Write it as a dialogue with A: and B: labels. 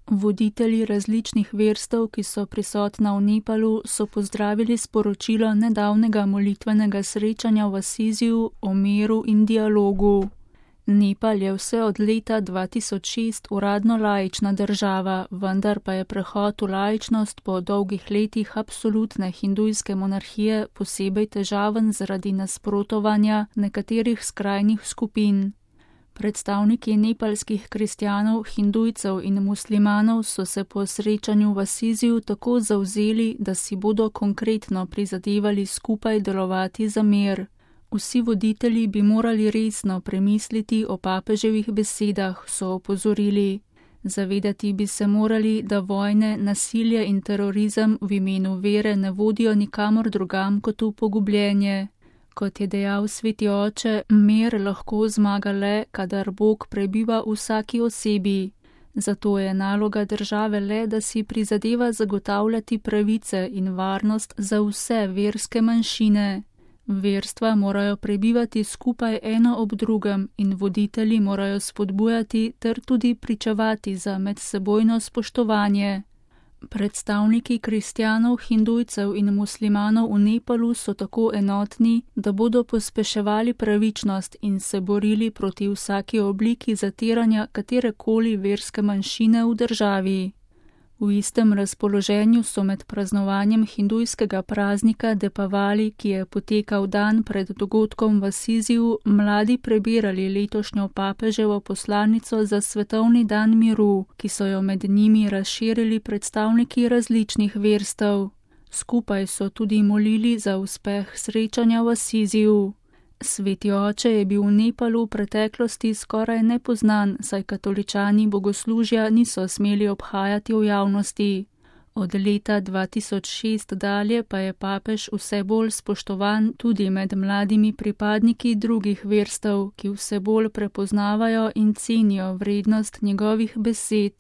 A: Voditelji različnih verstev, ki so prisotna v Nepalu, so pozdravili sporočilo nedavnega molitvenega srečanja v Asiziju o miru in dialogu. Nepal je vse od leta 2006 uradno laična država, vendar pa je prehod v laičnost po dolgih letih absolutne hindujske monarhije posebej težaven zaradi nasprotovanja nekaterih skrajnih skupin. Predstavniki nepalskih kristjanov, hindujcev in muslimanov so se po srečanju v Asiziju tako zavzeli, da si bodo konkretno prizadevali skupaj delovati za mir. Vsi voditelji bi morali resno premisliti o papeževih besedah, so opozorili. Zavedati bi se morali, da vojne, nasilje in terorizem v imenu vere ne vodijo nikamor drugam kot v pogubljenje. Kot je dejal sveti oče, mir lahko zmaga le, kadar Bog prebiva v vsaki osebi. Zato je naloga države le, da si prizadeva zagotavljati pravice in varnost za vse verske manjšine. Verstva morajo prebivati skupaj eno ob drugem in voditelji morajo spodbujati ter tudi pričevati za medsebojno spoštovanje. Predstavniki kristjanov, hindujcev in muslimanov v Nepalu so tako enotni, da bodo pospeševali pravičnost in se borili proti vsaki obliki zatiranja katerekoli verske manjšine v državi. V istem razpoloženju so med praznovanjem hindujskega praznika Depavali, ki je potekal dan pred dogodkom v Asiziju, mladi prebirali letošnjo papeževo poslanico za svetovni dan miru, ki so jo med njimi razširili predstavniki različnih verstev. Skupaj so tudi molili za uspeh srečanja v Asiziju. Sveti oče je bil v Nepalu v preteklosti skoraj nepoznan, saj katoličani bogoslužja niso smeli obhajati v javnosti. Od leta 2006 dalje pa je papež vse bolj spoštovan tudi med mladimi pripadniki drugih verstev, ki vse bolj prepoznavajo in cenijo vrednost njegovih besed.